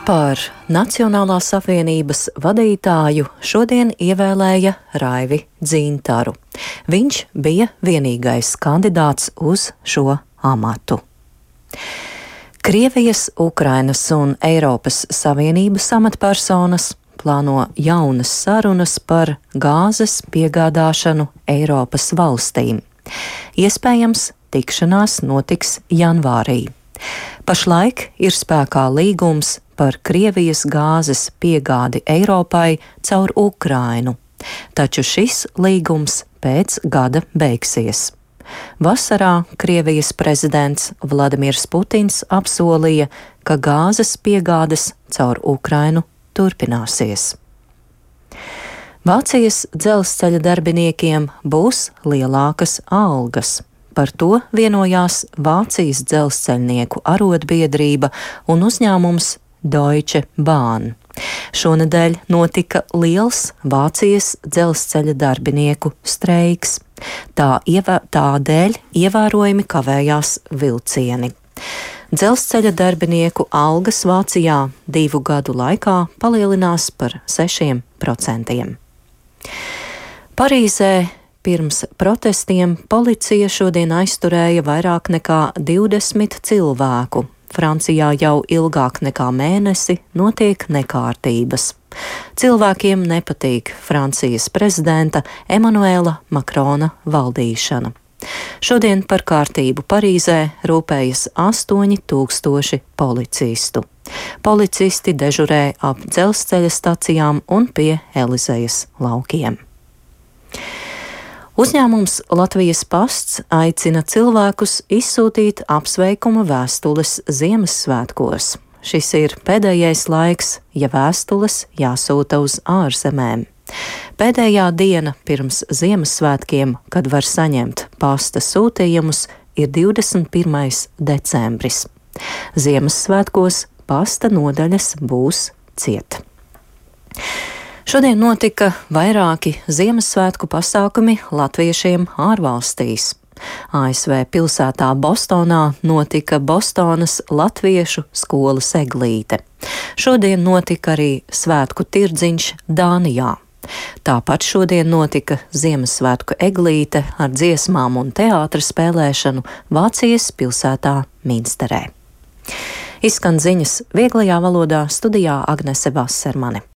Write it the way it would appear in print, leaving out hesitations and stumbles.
Par Nacionālās apvienības vadītāju šodien ievēlēja Raivi Dzintaru. Viņš bija vienīgais kandidāts uz šo amatu. Krievijas, Ukrainas un Eiropas Savienības amatpersonas plāno jaunas sarunas par gāzes piegādāšanu Eiropas valstīm. Iespējams, tikšanās notiks janvārī. Pašlaik ir spēkā līgums par Krievijas gāzes piegādi Eiropai caur Ukrainu, taču šis līgums pēc gada beigsies. Vasarā Krievijas prezidents Vladimirs Putins apsolīja, ka gāzes piegādes caur Ukrainu turpināsies. Vācijas dzelzceļa darbiniekiem būs lielākas algas. Par to vienojās Vācijas dzelzceļnieku arotbiedrība un uzņēmums Deutsche Bahn. Šonedēļ notika liels Vācijas dzelzceļa darbinieku streiks. Tādēļ ievērojami kavējās vilcieni. Dzelzceļa darbinieku algas Vācijā 2 gadu laikā palielinās par 6%. Parīzē pirms protestiem policija šodien aizturēja vairāk nekā 20 cilvēku. Francijā jau ilgāk nekā mēnesi notiek nekārtības. Cilvēkiem nepatīk Francijas prezidenta Emanuela Makrona valdīšana. Šodien par kārtību Parīzē rūpējas 8000 policistu. Policisti dežurē ap dzelzceļa stacijām un pie Elizejas laukiem. Uzņēmums Latvijas pasts aicina cilvēkus izsūtīt apsveikuma vēstules Ziemassvētkos. Šis ir pēdējais laiks, ja vēstules jāsūta uz ārzemēm. Pēdējā diena pirms Ziemassvētkiem, kad var saņemt pasta sūtījumus, ir 21. decembris. Ziemassvētkos pasta nodaļas būs ciet. Šodien notika vairāki Ziemassvētku pasākumi latviešiem ārvalstīs. ASV pilsētā Bostonā notika Bostonas latviešu skolas eglīte. Šodien notika arī svētku tirdziņš Dānijā. Tāpat šodien notika Ziemassvētku eglīte ar dziesmām un teātra spēlēšanu Vācijas pilsētā Minsterē. Izskan ziņas vieglajā valodā, studijā Agnese Vasermane.